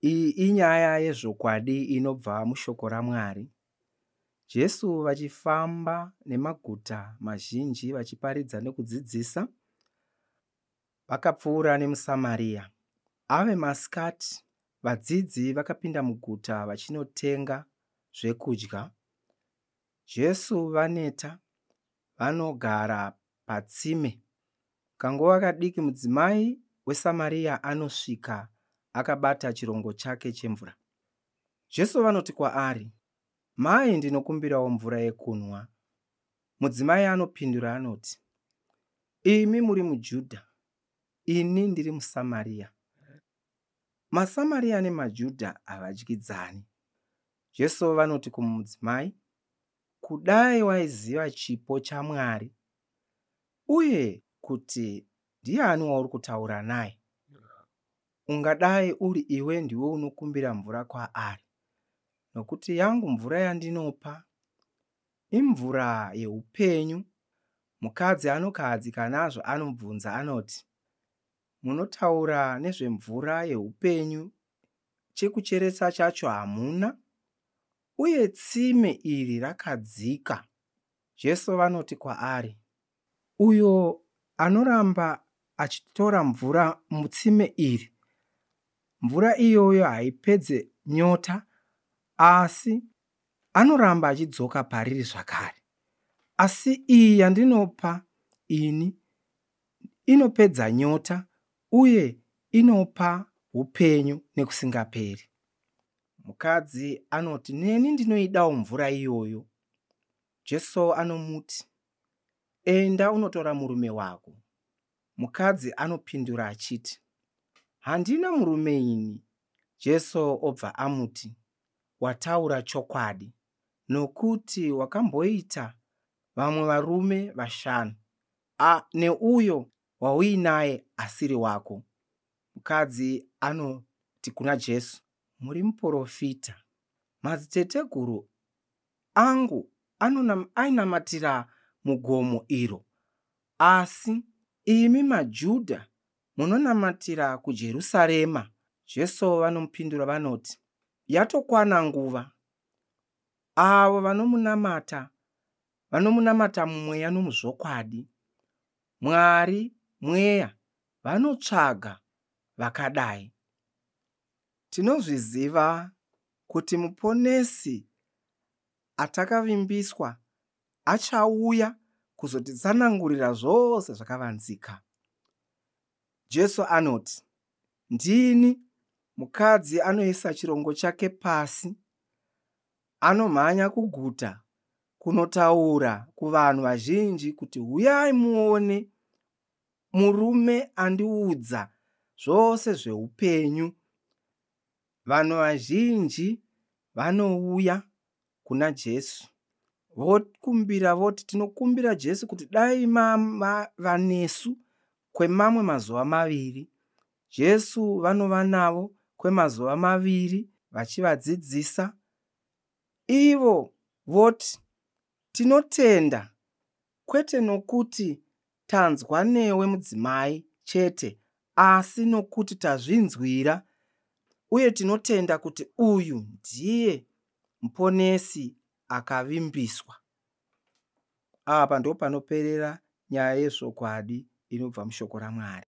Iyi inyaya yezvokwadi inobva mushoko raMwari. Jesu vachifamba nemaguta mazhinji vachiparidza nekudzidzisa, vakapfuura nemuSamaria. Ave masikati, vadzidzi vakapinda muguta vachinotenga zvekudya. Jesu vaneta, vanogara patsime. Kanguva kadiki mudzimai weSamaria anosvika akabata chirongo chake chemvura. Jesu vanoti kwaari, Mai ndinokumbirawo mvura yekunwa. Mudzimai anopindura anoti, Imi muri muJudha, ini ndiri muSamaria. MaSamaria nemaJudha havadyidzani. Jesu vanoti kumudzimai, Kudai waiziva chipo chaMwari uye kuti ndiani wauri kutaura naye, ungadai uri iwe ndiwe unokumbira mvura kwaari, nokuti yangu mvura yandinopa imvura yeupenyu. Mukadzi anokahadzika nazvo anobvunza anoti, Munotaura nezvemvura yeupenyu, chekucheresa chacho hamuna, uye tsime iri rakadzika. Jesu vanoti kwaari, Uyo anoramba achitora mvura mutsime iri, mvura iyoyo haipedze nyota, asi anoramba achidzoka pariri zvakare. Asi iyi yandinopa ini inopedza nyota uye inopa upenyu nekusingaperi. Mukadzi anoti, Neni ndinoidawo mvura iyoyo. Jesu anomuti, Enda unotora murume wako. Mukadzi anopindura achiti, Handina murume ini. Jesu obva amuti, Wataura chokwadi, nokuti wakamboita vamwe varume vashanu, neuyo wauinaye asiri wako. Mukadzi anoti kuna Jesu, Muri muprofita. Madziteteguru angu ainamatira mugomo iro, asi imi maJudha munonamatira kuJerusarema. Jesu vanomupindura vanoti, Yatokwana nguva, avo vanomunamata vanomunamata mumweya nomuzvokwadi. Mwari mweya, vanotsvaga vakadai. Tinozviziva kuti Muponesi atakavimbiswa achauya kuzotitsanangurira zvose zvakavanzika. Jesu anoti, Ndini. Mukadzi anoisa chirongo chake pasi, anomhanya kuguta kunotaura kuvanhu vazhinji kuti huyai muone murume andiudza zvose zveupenyu. Vanhu vazhinji vanouya kuna Jesu vokumbira voti tinokumbira Jesu kuti dai mava nesu kwemamwe mazuva maviri. Jesu vanova navo kwemazuva maviri vachivadzidzisa. Ivo voti tinotenda kwete nokuti tanzwa newe mudzimai chete, asi nokuti tazvinzwira uye tinotenda kuti uyu ndiye Muponesi akavimbiswa. Apa ndopanoperera nyaya yezvokwadi inobva mushoko raMwari.